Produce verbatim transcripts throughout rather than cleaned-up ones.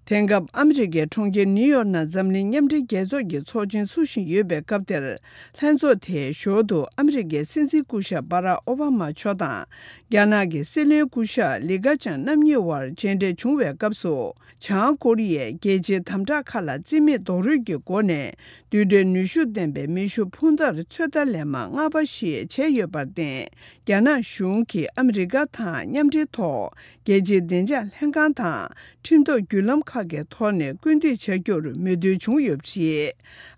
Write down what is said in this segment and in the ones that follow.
དེང་སྐབས་ཨ་མི་རི་ཀའི་གྲོང་ཁྱེར་ནིའུ་ཡོག་ནང་འཛམ་གླིང་མཉམ་འབྲེལ་རྒྱལ་ཚོགས་ཀྱི་ཚོགས་ཆེན་ཚུགས་བཞིན་ཡོད་པའི་སྐབས་དེར། ལྷན་ཚོགས་དེའི་ཞོར་དུ་ཨ་མི་རི་ཀའི་སྲིད་འཛིན་སྐུ་ཞབས་སྦ་རག་ཨོ་བྷ་མ་མཆོག་དང་། རྒྱ་ནག་གི་སྲིད་བློན་སྐུ་ཞབས་ལི་ཁ་ཆང་རྣམ་གཉིས་དབར་མཇལ་འཕྲད་བྱུང་བའི་སྐབས་སུ། བྱང་ཀོ་རི་ཡས་རྒྱལ་སྤྱིའི་དམ་དྲག་ཁག་ལ་རྩིས་མེད་རྡོག་རོལ་གྱི་སྒོ་ནས། རྡུལ་ཕྲན་ནུས་ཤུགས་ལྡན་པའི་མེ་ཤུགས་འཕུར་མདའ་ཚོད་ལྟ་ལན་མ་ལྔ་པ་ཞིག་བྱས་ཡོད་པར་བརྟེན། རྒྱ་ནག་གཞུང་གིས་ཨ་མི་རི་ཀ་དང་མཉམ་འབྲེལ་ཐོག་རྒྱལ་སྤྱིའི་བདེ་འཇགས་ལྷན་ཁང་དང་ཁྲིམས་ཐོག་བརྒྱུད་ལམ་ཁག་གི་ཐོག་ནས་སྐུལ་འདེད་བྱ་རྒྱུར་མོས་མཐུན་བྱུང་ཡོད་པ་རེད།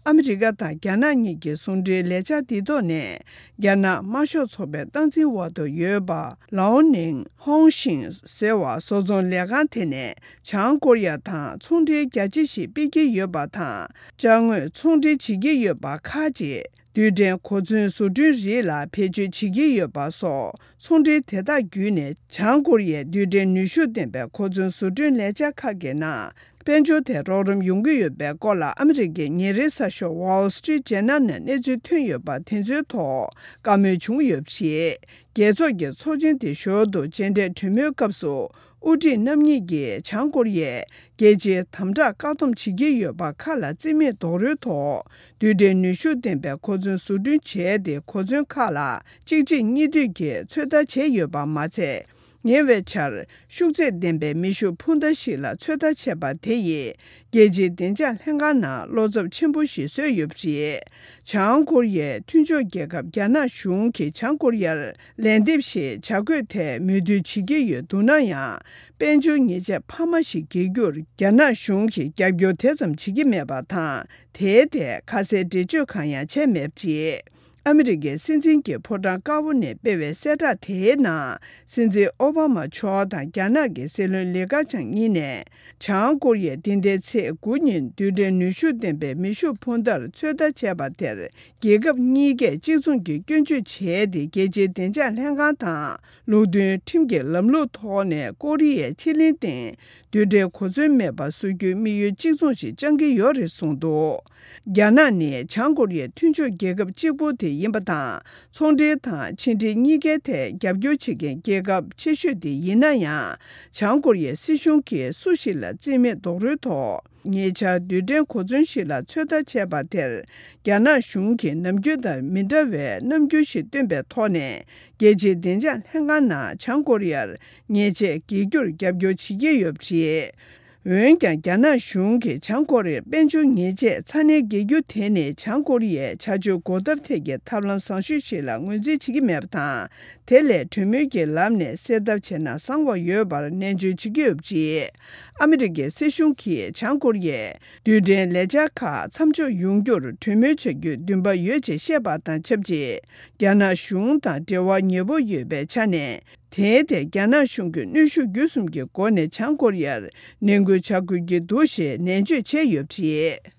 ཨ་མི་རི་ཀ་དང་རྒྱ་ནག་གཉིས་ཀྱི་ཟུང་འབྲེལ་ལས་འཆར་འདི་ཐོག་ནས། རྒྱ་ནག་དམར་ཤོག་ཚོགས་པའི་སྟངས་འཛིན་འོག་ཏུ་ཡོད་པ་ལའོ་ནིང་ཧོང་ཤིང་ཟེར་བ་བཟོ་ཚོང་ལས་ཁང་དེ་ནས། བྱང་ཀོ་རི་ཡ་དང་ཚོང་འབྲེལ་རྒྱ་ཆེ་ཞིག་སྤེལ་གྱི་ཡོད་པ་དང་། ཅ་དངོས་ཚོང་འབྲེལ་བྱེད་ཀྱི་ཡོད་པ་ཁག་ཅིག་རྡུལ་ཕྲན་གོ་མཚོན་བཟོ་སྐྲུན་རིགས་ལ་བེད་སྤྱོད་བྱེད་ཀྱི་ཡོད་པ་སོགས། ཚོང་འབྲེལ་དེ་དག་བརྒྱུད་ནས། བྱང་ཀོ་རི་ཡའི་རྡུལ་ཕྲན་ནུས་ཤུགས་ལྡན་པའི་གོ་མཚོན་བཟོ་སྐྲུན་ལས་འཆར་ཁག་གི་ནང་། དཔལ་འབྱོར་ཐད་རོགས་རམ་ཡོང་གི་ཡོད་པའི་སྐོར་ལ། ཨ་མི་རི་ཀའི་ཉིན་རེའི་གསར་ཤོག་Wall Street Journal ནས་གནས་ཚུལ་ཐོན་ཡོད་པ་དེ་ཚོའི་ཐོག་བཀའ་མོལ་བྱུང་ཡོད་པ་རེད། རྒྱལ་ཚོགས་ཀྱི་ཚོགས་ཆེན་དེ་ཞོར་དུ་མཇལ་འཕྲད་གྲོས་མོལ་སྐབས་སུ། དབུ་ཁྲིད་རྣམ་གཉིས་ཀྱིས་བྱང་ཀོ་རི་ཡས་རྒྱལ་སྤྱིའི་དམ་དྲག་བཀག་སྡོམ་བྱེད་ཀྱི་ཡོད་པ་ཁག་ལ་རྩིས་མེད་རྡོག་རོལ་ཐོག་རྡུལ་ཕྲན་ནུས་ཤུགས་ལྡན་པའི་གོ་མཚོན་བཟོ་སྐྲུན་བྱས་ཏེ། གོ་མཚོན་ཁག་ལ་གཅིག་རྗེས་གཉིས་མཐུད་ཀྱིས་ཚོད་ལྟ་བྱས་ཡོད་པ་མ་ཚད། ཉེ་བའི་ཆར་ཤུགས་ཚད་ལྡན་པའི་མེ་ཤུགས་འཕུར་མདའ་ཞིག་ལ་ཚོད་ལྟ་བྱས་པ་དེ་ཡིས། རྒྱལ་སྤྱིའི་བདེ་འཇགས་ལྷན་ཁང་ནང་བློ་འཚབ་ཆེན་པོ་ཞིག་བཟོས་ཡོད་པ་རེད། བྱང་ཀོ་རི་ཡའི་མཐུན་ཕྱོགས་རྒྱལ་ཁབ་རྒྱ་ནག་གཞུང་གིས་བྱང་ཀོ་རི་ཡར་ལན་འདེབས་ཤིག་བྱ་དགོས་ཐད་མོས་མཐུན་བྱེད་ཀྱི་ཡོད་འདུག་ན་ཡང་། དཔལ་འབྱོར་ཉེས་ཆད་འཕར་མ་ཞིག་འགེལ་རྒྱུར་རྒྱ་ནག་གཞུང་གིས་རྒྱབ་སྐྱོར་དེ་ཙམ་བྱེད་ཀྱི་མེད་པ་དང་། དེའི་ཐད་ཁ་གསལ་འགྲེལ་བརྗོད་གང་ཡང་བྱས་མེད་པ་རེད། ཨ་མི་རི་ཀའི་སྲིད་འཛིན་གྱི་ཕོ་བྲང་དཀར་པོ་ནས་སྤེལ་བའི་གསལ་བསྒྲགས་དེའི་ནང་། སྲིད་འཛིན་ཨོ་བྷ་མ་མཆོག་དང་རྒྱ་ནག་གི་སྲིད་བློན་ལི་ཁ་ཆང་གཉིས་ནས། བྱང་ཀོ་རི་ཡས་འདི་ཟླའི་ཚེས་དགུ་ཉིན་རྡུལ་ཕྲན་ནུས་ཤུགས་ལྡན་པའི་མེ་ཤུགས་འཕུར་མདའ་ཚོད་ལྟ་བྱས་པ་དེར། རྒྱལ་ཁབ་གཉིས་ཀས་གཅིག་མཚུངས་ཀྱིས་སྐྱོན་བརྗོད་བྱས་ཏེ། རྒྱལ་སྤྱིའི་བདེ་འཇགས་ལྷན་ཁང་དང་ལུགས་མཐུན་ཁྲིམས་ཀྱི་ལམ་ལུགས་ཐོག་ནས་ཀོ་རི་ཡའི་ཕྱེད་གླིང་སྟེང་རྡུལ་ཕྲན་གོ་མཚོན་མེད་པ་བཟོ་རྒྱུའི་དམིགས་ཡུལ་གཅིག་མཚུངས་ཤིག་བཅངས་ཀྱི་ཡོད་རེད་གསུངས་འདུག་རྒྱ་ནག་ནི་བྱང་ཀོ་རི་ཡའི་མཐུན་ཕྱོགས་རྒྱལ་ཁབ་གཅིག་པུ་དེ་ཡིན་པ་དང་། ཚོང་འབྲེལ་དང་ཕྱི་འབྲེལ་གཉིས་ཀའི་ཐད་རྒྱབ་སྐྱོར་བྱེད་མཁན་རྒྱལ་ཁབ་ཆེ་ཤོས་དེ་ཡིན་ན་ཡང་། བྱང་ཀོ་རི་ཡའི་སྲིད་གཞུང་གིས་སུ་ཞིག་ལ་རྩིས་མེད་རྡོག་རོལ་ཐོག་ཉེ་ཆར་རྡུལ་ཕྲན་གོ་མཚོན་ཞིག་ལ་ཚོད་ལྟ་བྱས་པ་དེར། རྒྱ་ནག་གཞུང་གིས་ནམ་རྒྱུན་དང་མི་འདྲ་བའི་རྣམ་འགྱུར་ཞིག་སྟོན་པའི་ཐོག་ནས། རྒྱལ་སྤྱིའི་བདེ་འཇགས་ལྷན་ཁང་ནང་བྱང་ཀོ་རི་ཡར་ཉེས་ཆད་འགེལ་རྒྱུར་རྒྱབ་སྐྱོར་བྱེད་ཀྱི་ཡོད་པ་རེད། འོན་ཀྱང་། རྒྱ་ནག་གཞུང་གིས་བྱང་ཀོ་རི་ཡར་དཔལ་འབྱོར་ཉེས་ཆད་ཚ་ནན་འགེལ་རྒྱུ་དེ་ནི། བྱང་ཀོ་རི་ཡའི་བྱ་སྤྱོད་འགོག་ཐབས་ཐད་ཀྱི་ཐབས་ལམ་བཟང་ཤོས་ཤིག་ལ་ངོས་འཛིན་བྱེད་ཀྱི་མེད་པ་དང་། དེ་ལས་གྲོས་མོལ་གྱི་ལམ་ནས་སེལ་ཐབས་བྱས་ན་བཟང་བ་ཡོད་པར་ནན་བརྗོད་བྱེད་ཀྱི་ཡོད་པ་རེད། ཨ་མི་རི་ཀའི་སྲིད་གཞུང་གིས་བྱང་ཀོ་རི་ཡའི་རྡུལ་ཕྲན་ལས་འཆར་ཁག་མཚམས་འཇོག་ཡོང་རྒྱུར་གྲོས་མོལ་བྱ་རྒྱུའི་འདུན་པ་ཡོད་ཅེས་བཤད་པ་དང་ཆབས་ཅིག་རྒྱ་ནག་གཞུང་དང་འབྲེལ་བ་ཉེ་པོ་ཡོད་པའི་ཆ་ནས། དེའི་ཐད་རྒྱ་ནག་གཞུང་གིས་གནོན་ཤུགས་བརྒྱུད་གསུམ་གྱི་སྒོ་ནས་བྱང་ཀོ་རི་ཡར་ནན་སྐུལ་བྱ་དགོས་ཀྱི་འདུག་ཞེས་ནན་བརྗོད་བྱས་ཡོད་པ་རེད།